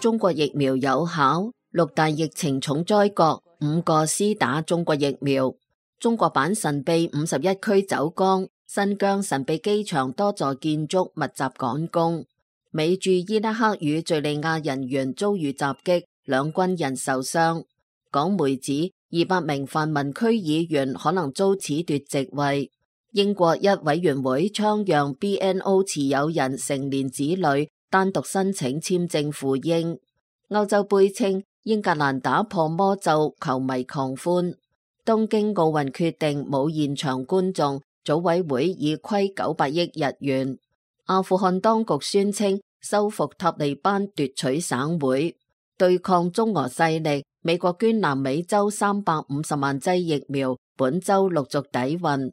中國疫苗有效，六大疫情重災國5個施打中國疫苗。中國版神秘51區走光，新疆神秘機場多座建築密集趕工。美駐伊拉克與敘利亞人員遭遇襲擊，兩軍人受傷。港媒指200名泛民區議員可能遭褫奪席位。英國一委員會倡讓 BNO 持有人成年子女單獨申請簽證赴英。歐洲杯稱英格蘭打破魔咒，球迷狂歡。東京奧運決定冇現場觀眾，組委會已虧900億日元。阿富汗當局宣稱收復塔利班奪取省會。對抗中俄勢力，美國捐南美洲350萬劑疫苗，本周陸續抵運。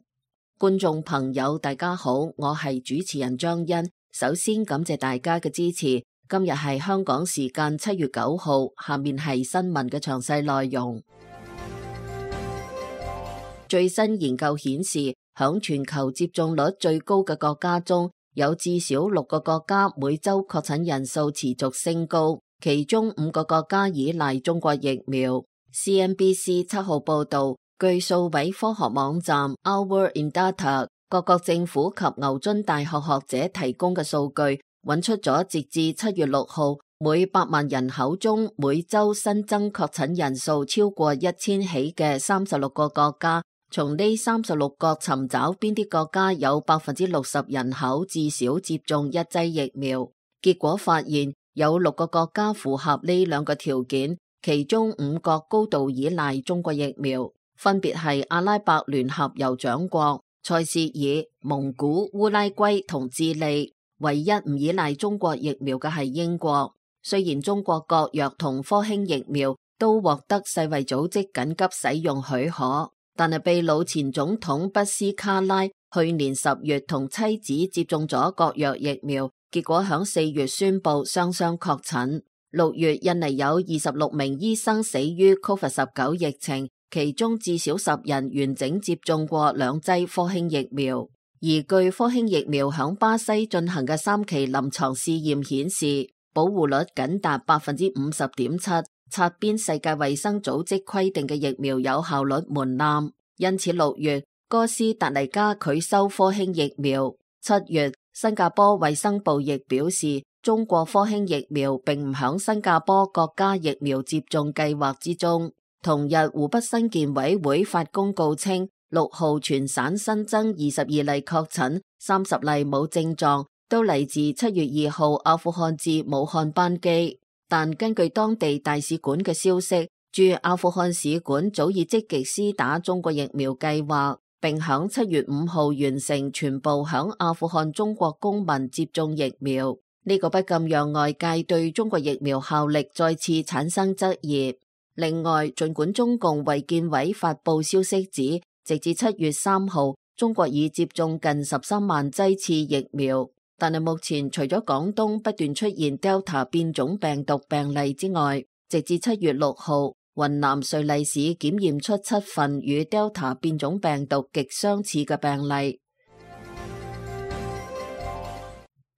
觀眾朋友大家好，我係主持人張欣，首先感謝大家嘅支持。今日係香港時間7月9號，下面係新聞嘅詳細內容。最新研究顯示，響全球接種率最高嘅國家中，有至少6個國家每周確診人數持續升高，其中5個國家依賴中國疫苗。CNBC 7號報道，據數位科學網站 Hour in Data 各國政府及牛津大學學者提供嘅數據，揾出咗截至7月6號每100萬人口中每周新增確診人數超過1000起嘅36個國家。從呢36個尋找邊啲國家有60%人口至少接種1劑疫苗，結果發現有6個國家符合呢2個條件，其中5個高度依賴中國疫苗，分別係阿拉伯聯合酋長國、塞舌爾、蒙古、烏拉圭同智利。唯一唔依賴中國疫苗嘅係英國。雖然中國國藥同科興疫苗都獲得世衛組織緊急使用許可，但係秘魯前總統畢斯卡拉去年10月同妻子接種咗國藥疫苗，結果響4月宣布雙雙確診。6月印尼有26名醫生死於 COVID-19 疫情，其中至少10人完整接種過2劑科興疫苗。而據科興疫苗響巴西進行嘅3期臨床試驗顯示，保護率僅達 50.7%， 擦邊世界衛生組織規定嘅疫苗有效率門檻。因此6月哥斯達黎加拒收科興疫苗。7月新加坡衛生部亦表示，中國科興疫苗並唔響新加坡國家疫苗接種計劃之中。同日湖北新健委會發公告稱，6號全省新增22例確診，30例冇症狀，都嚟自7月2號阿富汗至武漢班機。但根據當地大使館嘅消息，駐阿富汗使館早已積極施打中國疫苗計劃，並響7月5號完成全部響阿富汗中國公民接種疫苗。呢個不禁讓外界對中國疫苗效力再次產生質疑。另外，儘管中共衛健委發佈消息指，直至7月3號，中國已接種近13萬劑次疫苗，但係目前除咗廣東不斷出現 Delta 變種病毒病例之外，直至7月6號，雲南瑞麗市檢驗出7份與 Delta 變種病毒極相似嘅病例。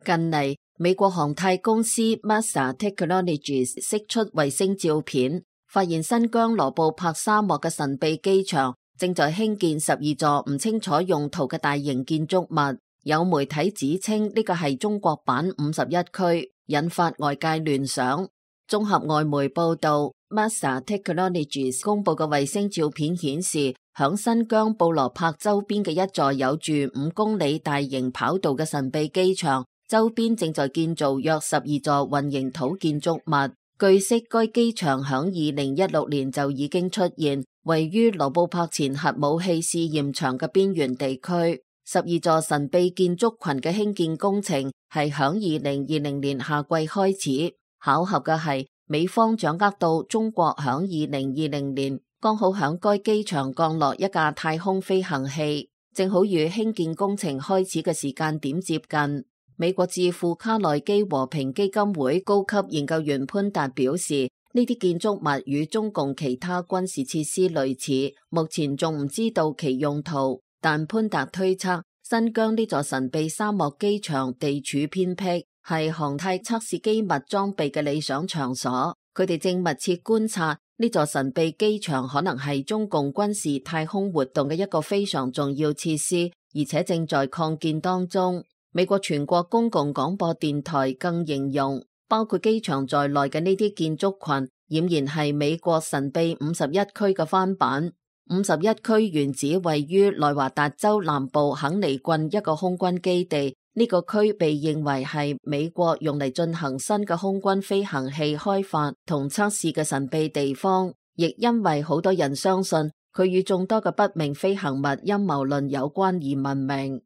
近嚟，美國航太公司 Massa Technologies 釋出衛星照片，發現新疆羅布泊沙漠嘅神秘機場正在興建12座唔清楚用途嘅大型建築物。有媒體指稱呢個係中國版51區，引發外界聯想。綜合外媒報道， Massa Technologies 公布嘅衛星照片顯示，響新疆布羅柏周邊嘅一座有住5公里大型跑道嘅神秘機場，周邊正在建造約12座混凝土建築物。據悉，該機場響2016年就已經出現，位於羅布泊前核武器試驗場嘅邊緣地區。12座神秘建築群嘅興建工程係響2020年夏季開始。巧合嘅係，美方掌握到中國響2020年剛好響該機場降落一架太空飛行器，正好與興建工程開始嘅時間點接近。美國智庫卡內基和平基金會高級研究員潘達表示，呢啲建築物與中共其他軍事設施類似，目前仲唔知道其用途。但潘達推測，新疆呢座神秘沙漠機場地處偏僻，係航太測試機密裝備嘅理想場所。佢哋正密切觀察呢座神秘機場，可能係中共軍事太空活動嘅一個非常重要設施，而且正在擴建當中。美國全國公共廣播電台更形容，包括機場在內嘅呢啲建築群，儼然係美國神秘51區嘅翻版。51區原址位於內華達州南部肯尼郡一個空軍基地，呢個區被認為係美國用嚟進行新嘅空軍飛行器開發同測試嘅神秘地方，亦因為好多人相信佢與眾多嘅不明飛行物陰謀論有關而聞名。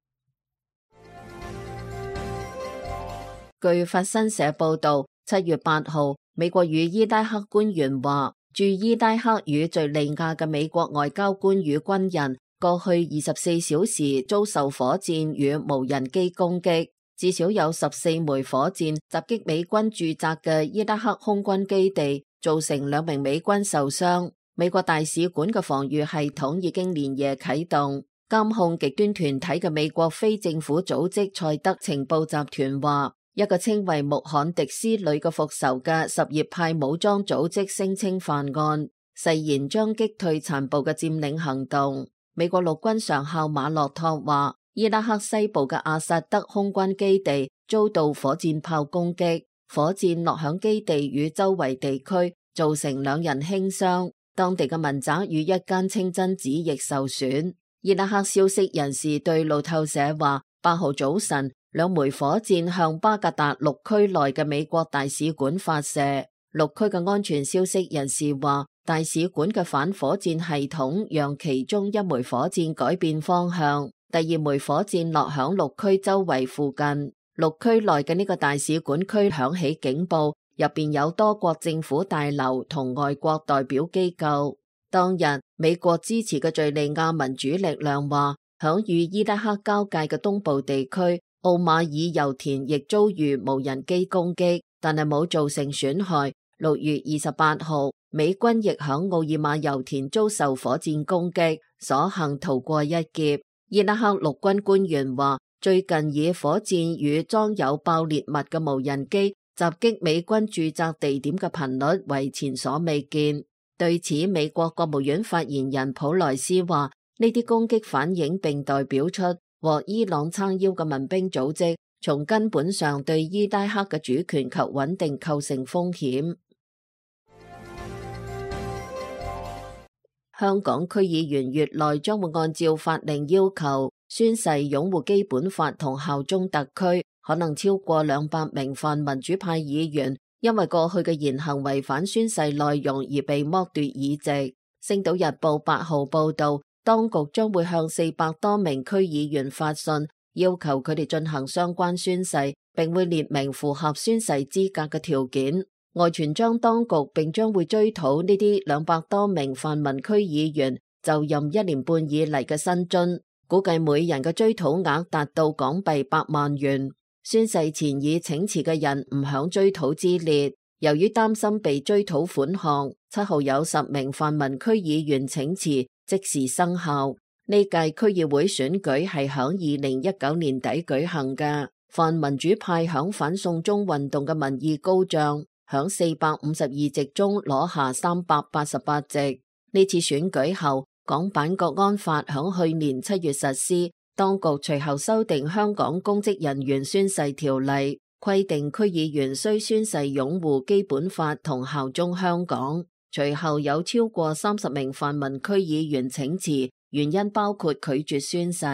據法新社報道，7月8號，美國與伊拉克官員話，駐伊拉克與敘利亞嘅美國外交官與軍人過去24小時遭受火箭與無人機攻擊，至少有14枚火箭襲擊美軍駐紮嘅伊拉克空軍基地，造成2名美軍受傷。美國大使館嘅防禦系統已經連夜啟動。監控極端團體嘅美國非政府組織賽德情報集團話，一個稱為穆罕迪斯旅嘅復仇嘅什葉派武裝組織聲稱犯案，誓言將擊退殘暴嘅佔領行動。美國陸軍上校馬洛托話，伊拉克西部嘅阿薩德空軍基地遭到火箭炮攻擊，火箭落響基地與周圍地區，造成2人輕傷。當地嘅民宅與一間清真寺亦受損。伊拉克消息人士對路透社話，8號早晨2枚火箭向巴格達6區內嘅美國大使館發射。6區嘅安全消息人士話，大使館嘅反火箭系統讓其中1枚火箭改變方向，第2枚火箭落響6區周圍附近。6區內嘅呢個大使館區響起警報，入邊有多國政府大樓同外國代表機構。當日美國支持嘅敘利亞民主力量話，響與伊拉克交界嘅東部地區奧馬爾油田亦遭遇無人機攻擊，但係冇造成損害。6月28號，美軍亦響奧爾馬油田遭受火箭攻擊，所幸逃過一劫。伊拉克陸軍官員話，最近以火箭與裝有爆裂物嘅無人機襲擊美軍駐紮地點嘅頻率為前所未見。對此，美國國務院發言人普萊斯話，呢啲攻擊反映並代表出獲伊朗撐腰嘅民兵組織從根本上對伊拉克嘅主權及穩定構成風險。香港區議員月內將會按照法令要求宣誓擁護基本法同效忠特區，可能超過200名泛民主派議員因為過去嘅言行違反宣誓內容而被剝奪議席。星島日報8號報道，當局將會向400多名區議員發信，要求佢哋進行相關宣誓，並會列明符合宣誓資格嘅條件。外傳將當局並將會追討呢啲200多名泛民區議員就任1年半以嚟嘅薪津，估計每人嘅追討額達到港幣100萬元。宣誓前已請辭嘅人唔響追討之列。由於擔心被追討款項，7號有10名泛民區議員請辭，即時生效。呢屆區議會選舉係響2019年底舉行嘅，泛民主派響反送中運動嘅民意高漲，響452席中攞下388席。呢次選舉後，港版國安法響去年7月實施，當局隨後修訂香港公職人員宣誓條例，規定區議員須宣誓擁護基本法同效忠香港。隨後有超過30名泛民區議員請辭，原因包括拒絕宣誓。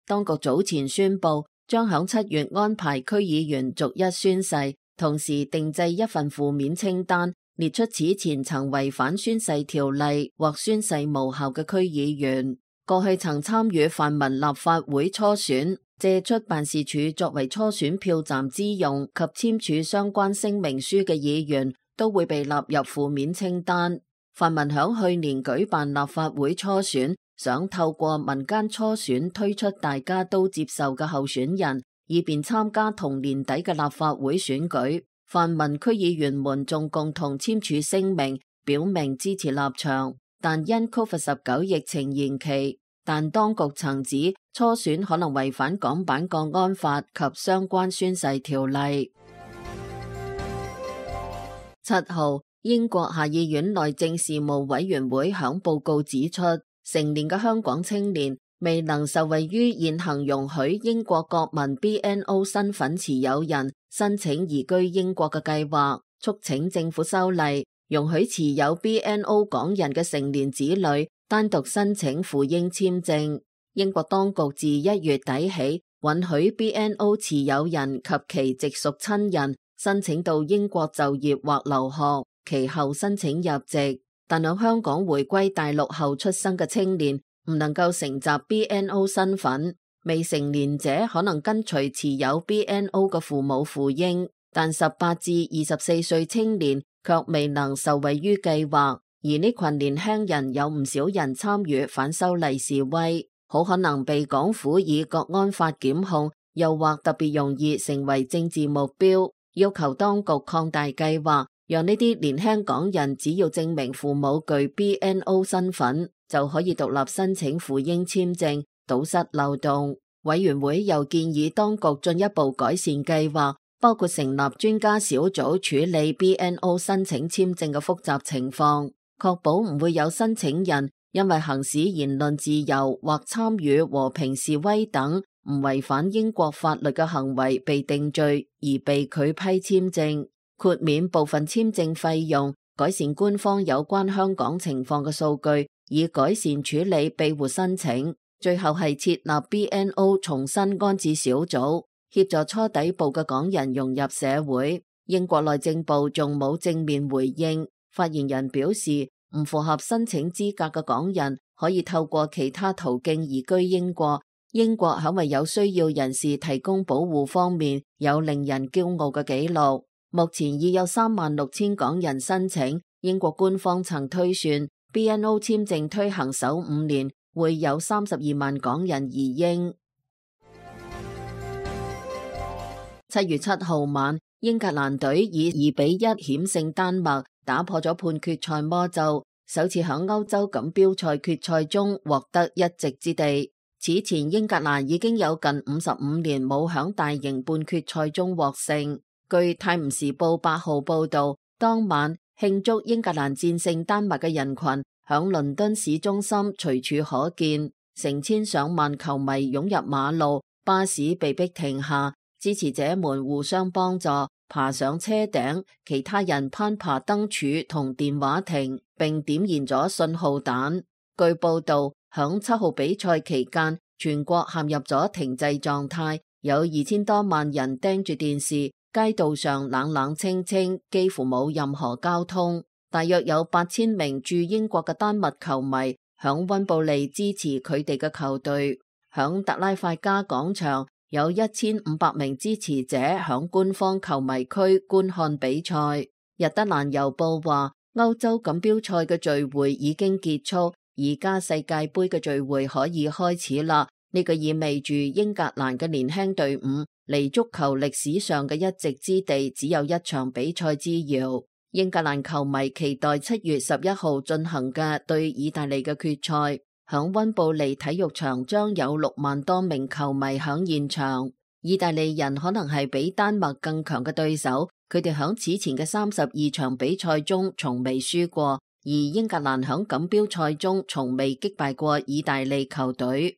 當局早前宣布將響7月安排區議員逐一宣誓，同時訂製一份負面清單，列出此前曾違反宣誓條例或宣誓無效嘅區議員。過去曾參與泛民立法會初選，借出辦事處作為初選票站之用及簽署相關聲明書嘅議員，都會被納入負面清單。泛民響去年舉辦立法會初選，想透過民間初選推出大家都接受嘅候選人，以便參加同年底嘅立法會選舉。泛民區議員們仲共同簽署聲明，表明支持立場，但因 COVID-19 疫情延期，但當局曾指初選可能違反港版國安法及相關宣誓條例。7號，英國下議院內政事務委員會響報告指出，成年嘅香港青年未能受惠於現行容許英國國民 BNO 身份持有人申請移居英國嘅計劃，促請政府修例，容許持有 BNO 港人嘅成年子女單獨申請赴英簽證。英國當局自1月底起允許 BNO 持有人及其直屬親人申請到英國就業或留學，其後申請入籍。但喺香港回歸大陸後出生嘅青年唔能夠承襲 BNO 身份，未成年者可能跟隨持有 BNO 嘅父母赴英，但18至24歲青年卻未能受惠於計劃。而呢群年輕人有唔少人參與反修例示威，好可能被港府以國安法檢控，又或特別容易成為政治目標。要求當局擴大計劃，讓呢啲年輕港人只要證明父母具 BNO 身份，就可以獨立申請赴英簽證，堵塞漏洞。委員會又建議當局進一步改善計劃，包括成立專家小組處理 BNO 申請簽證嘅複雜情況，確保唔會有申請人因為行使言論自由或參與和平示威等唔違反英國法律嘅行為被定罪而被拒批簽證，豁免部分簽證費用，改善官方有關香港情況嘅數據，以改善處理庇護申請。最後係設立 BNO 重新安置小組，協助初抵埗嘅港人融入社會。英國內政部仲冇正面回應。發言人表示，唔符合申請資格嘅港人可以透過其他途徑移居英國。英國喺為有需要人士提供保護方面有令人驕傲嘅紀錄。目前已有36000港人申請。英國官方曾推算 BNO 簽證推行首5年會有32萬港人移英。7月7號晚，英格蘭隊以2-1險勝丹麥，打破咗半決賽魔咒，首次喺歐洲錦標賽決賽中獲得一席之地。此前英格蘭已經有近55年冇響大型半決賽中獲勝。據泰晤士報8號報道，當晚慶祝英格蘭戰勝丹麥嘅人群響倫敦市中心隨處可見，成千上萬球迷湧入馬路，巴士被迫停下，支持者們互相幫助，爬上車頂，其他人攀爬燈柱同電話亭，並點燃咗信號彈。據報道，響7號比賽期間，全國陷入咗停滯狀態，有2000多萬人盯住電視，街道上冷冷清清，幾乎冇任何交通。大約有8000名駐英國嘅丹麥球迷響溫布利支持佢哋嘅球隊。響特拉法加廣場，有1500名支持者響官方球迷區觀看比賽。日德蘭郵報話，歐洲錦標賽嘅聚會已經結束，而家世界盃嘅聚會可以開始啦。呢個意味住英格蘭嘅年輕隊伍離足球歷史上嘅一席之地只有一場比賽之遙。英格蘭球迷期待7月11號進行嘅對意大利嘅決賽。響溫布利體育場將有6萬多名球迷響現場。意大利人可能係比丹麥更強嘅對手，佢哋響此前嘅32場比賽中從未輸過，而英格蘭響錦標賽中從未擊敗過意大利球隊。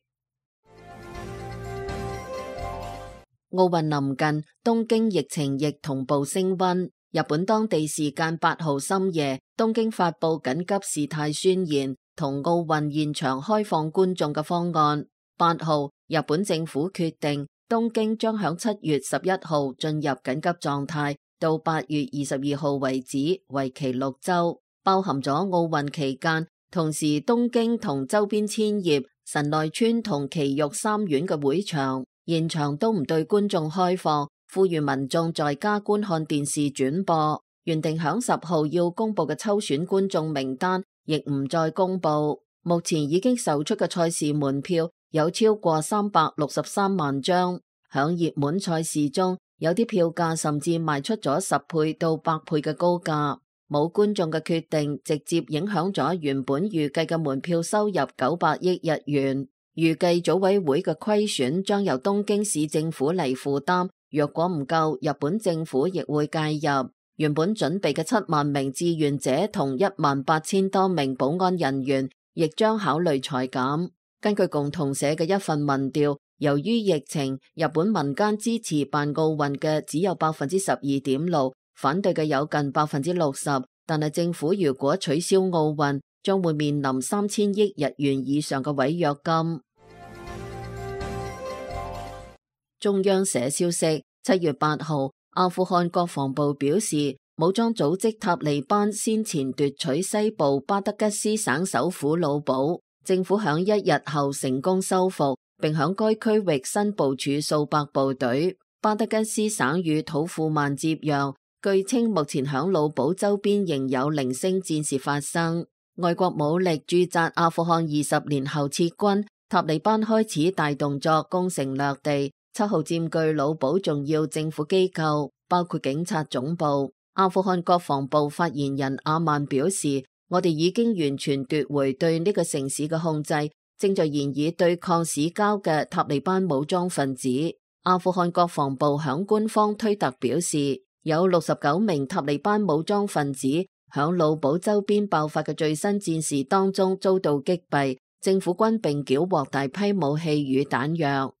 奧運臨近，東京疫情亦同步升溫。日本當地時間8號深夜，東京發布緊急事態宣言，同奧運現場開放觀眾嘅方案。8號，日本政府決定東京將響7月11號進入緊急狀態，到8月22號為止，為期6週，包含咗奧運期間。同時，東京同周邊千葉、神奈川同埼玉3縣嘅會場現場都唔對觀眾開放，呼籲民眾在家觀看電視轉播。原定響10號要公布嘅抽選觀眾名單亦唔再公布。目前已經售出嘅賽事門票有超過363萬張。響熱門賽事中，有啲票價甚至賣出咗10倍到100倍嘅高價。冇觀眾嘅決定直接影響咗原本預計嘅門票收入900億日元。預計組委會嘅虧損將由東京市政府嚟負擔，若果唔夠，日本政府亦會介入。原本準備嘅7萬名志願者同18000多名保安人員，亦將考慮裁減。根據共同社嘅一份民調，由於疫情，日本民間支持辦奧運嘅只有12.6%，反對嘅有近60%。但係政府如果取消奧運，將會面臨3000億日元以上嘅違約金。中央社消息，7月8號，阿富汗國防部表示，武裝組織塔利班先前奪取西部巴德吉斯省首府魯堡，政府響1日後成功收復，並響該區域新部署數百部隊。巴德吉斯省與土庫曼接壤，據稱目前響魯堡周邊仍有零星戰事發生。外國武力駐紮阿富汗20年後撤軍，塔利班開始大動作攻城略地。7號佔據魯堡重要政府機構，包括警察總部。阿富汗國防部發言人阿曼表示，我哋已經完全奪回對呢個城市嘅控制，正在研議對抗市郊嘅塔利班武裝分子。阿富汗國防部響官方推特表示，有69名塔利班武裝分子響魯堡周邊爆發嘅最新戰事當中遭到擊斃，政府軍並繳獲大批武器與彈藥。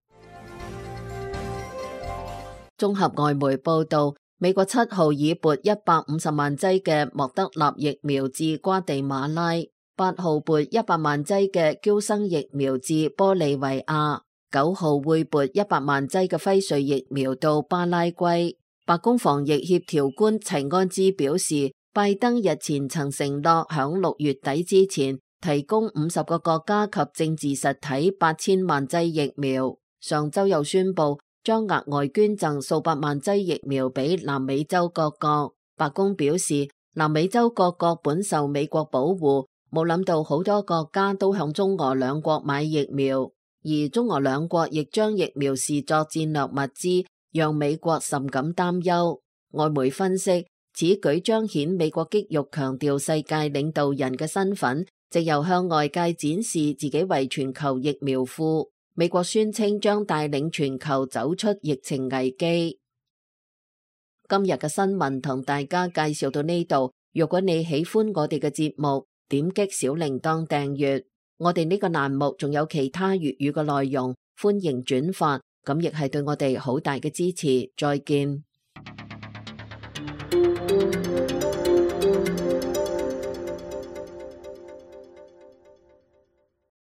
綜合外媒報道，美國7號已撥150萬劑嘅莫德納疫苗至瓜地馬拉，8號撥100萬劑嘅嬌生疫苗至玻利維亞，9號會撥100萬劑嘅輝瑞疫苗到巴拉圭。白宮防疫協調官齊安茲表示，拜登日前曾承諾響6月底之前提供50個國家及政治實體8000萬劑疫苗。上周又宣布將額外捐贈數百萬劑疫苗俾南美洲各國。白宮表示，南美洲各國本受美國保護，冇諗到好多國家都向中俄兩國買疫苗，而中俄兩國亦將疫苗視作戰略物資，讓美國甚感擔憂。外媒分析，此舉彰顯美國肌肉強調世界領導人嘅身份，藉由向外界展示自己為全球疫苗庫。美國宣稱將帶領全球走出疫情危機。今日嘅新聞同大家介紹到呢度。如果你喜歡我哋嘅節目，點擊小鈴鐺訂閱。我哋呢個欄目仲有其他粵語嘅內容，歡迎轉發，咁亦係對我哋好大嘅支持。再見。